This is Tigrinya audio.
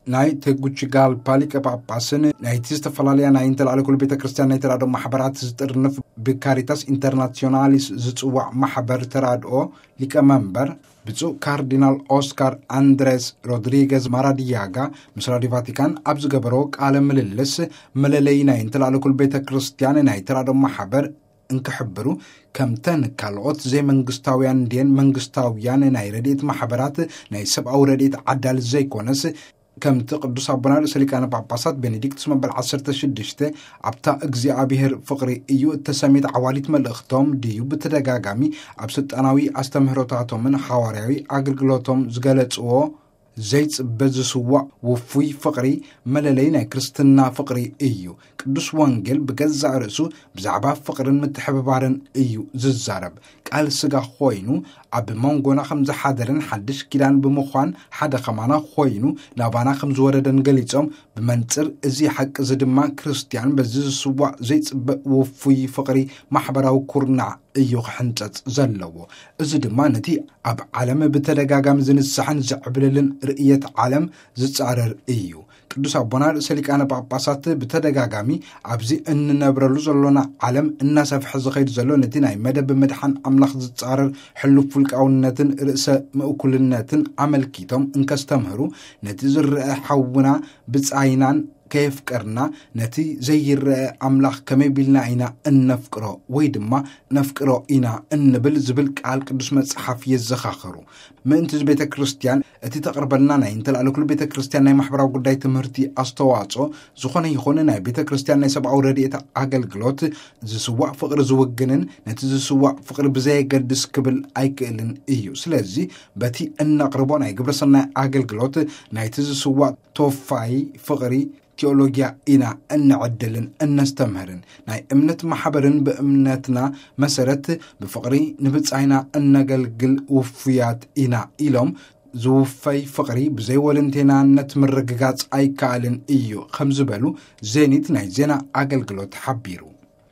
ናይ ቴጉቺጋልፓ ሊቀ ጳጳስን ናይቲ ዝተፈላለያ ናይ እንተላዕለ ኩሉ ቤተ ክርስቲያን ናይ ተራድኦ ማሕበራት ዝጥርንፍ ብካሪታስ ኢንተርናሲዮናሊስ ዝጽዋዕ ማሕበር ተራድኦ ሊቀ መንበር ብፁዕ ካርዲናል ኦስካር ኣንድሬስ ሮድሪገዝ ማራዲያጋ ምስ ራዲዮ ቫቲካን ኣብ ዝገበሮ ቃለ ምልልስ፣ መለለይ ናይ እንተላዕለ ኩሉ ቤተ ክርስቲያን ናይ ተራድኦ ማሕበር እንክሕብሩ፣ ከምተን ካልኦት ዘይመንግስታውያን ድየን መንግስታውያን ናይ ረድኤት ማሕበራት ናይ ሰብኣዊ ረድኤት ዓዳል ዘይኮነስ፣ ከምቲ ቅዱስ ኣቦና ርእሰ ሊቃነ ጳጳሳት ቤኔዲክቱስ መበል ዓሰርተ ሽዱሽተ ኣብታ እግዚኣብሔር ፍቕሪ እዩ እተሰሜት ዓዋሊት መልእኽቶም ድዩ ብተደጋጋሚ ኣብ ስልጣናዊ ኣስተምህሮታቶምን ሓዋርያዊ ኣገልግሎቶም ዝገለጽዎ ዘይጽበ ዝስዋዕ ውፉይ ፍቕሪ መለለይ ናይ ክርስትና ፍቕሪ እዩ። ቅዱስ ወንጌል ብገዛእ ርእሱ ብዛዕባ ፍቕርን ምትሕብባርን እዩ ዝዛረብ። ቃል ስጋ ኮይኑ ኣብ መንጎና ከም ዝሓደርን ሓድሽ ኪዳን ብምዃን ሓደ ከማና ኮይኑ ናባና ከም ዝወረደን ገሊጾም፣ ብመንጽር እዚ ሓቂ እዚ ድማ ክርስቲያን በዚ ዝስዋዕ ዘይጽበ ውፉይ ፍቕሪ ማሕበራዊ ኩርናዕ እዩ ክሕንጸጽ ዘለዎ። እዚ ድማ ነቲ ኣብ ዓለም ብተደጋጋሚ ዝንስሕን ዝዕብልልን ርእየት ዓለም ዝጻረር እዩ። ቅዱስ ኣቦና ርእሰ ሊቃነ ጳጳሳት ብተደጋጋሚ ኣብዚ እንነብረሉ ዘሎና ዓለም እናሰፍሐ ዝኸይድ ዘሎ ነቲ ናይ መደብ ምድሓን ኣምላኽ ዝጻረር ሕሉፍ ውልቃውነትን ርእሰ ምእኩልነትን ኣመልኪቶም እንከስተምህሩ፣ ነቲ ዝረአ ሓውና ብጻይናን ከየፍቀርና፣ ነቲ ዘይረአ ኣምላኽ ከመይ ቢልና ኢና እነፍቅሮ ወይ ድማ ነፍቅሮ ኢና እንብል ዝብል ቃል ቅዱስ መጽሓፍ የዘኻኽሩ። ምእንቲ እዚ ቤተ ክርስቲያን እቲ ተቕርበልና ናይ እንተላዕለ ኩሉ ቤተ ክርስቲያን ናይ ማሕበራዊ ጉዳይ ትምህርቲ ኣስተዋጽኦ ዝኾነ ይኹን ናይ ቤተ ክርስቲያን ናይ ሰብኣዊ ረድኤት ኣገልግሎት ዝስዋዕ ፍቕሪ ዝውግንን ነቲ ዝስዋዕ ፍቕሪ ብዘየገድስ ክብል ኣይክእልን እዩ። ስለዚ በቲ እነቕርቦ ናይ ግብረ ሰናይ ኣገልግሎት ናይቲ ዝስዋዕ ተወፋይ ፍቕሪ ቴዎሎጊያ ኢና እንዕድልን እነስተምህርን። ናይ እምነት ማሕበርን ብእምነትና መሰረት ብፍቕሪ ንብጻይና እነገልግል ውፉያት ኢና ኢሎም፣ ዝውፈይ ፍቕሪ ብዘይ ወለንቴናነት ምርግጋጽ ኣይከኣልን እዩ ከም ዝበሉ ዜኒት ናይ ዜና ኣገልግሎት ሓቢሩ።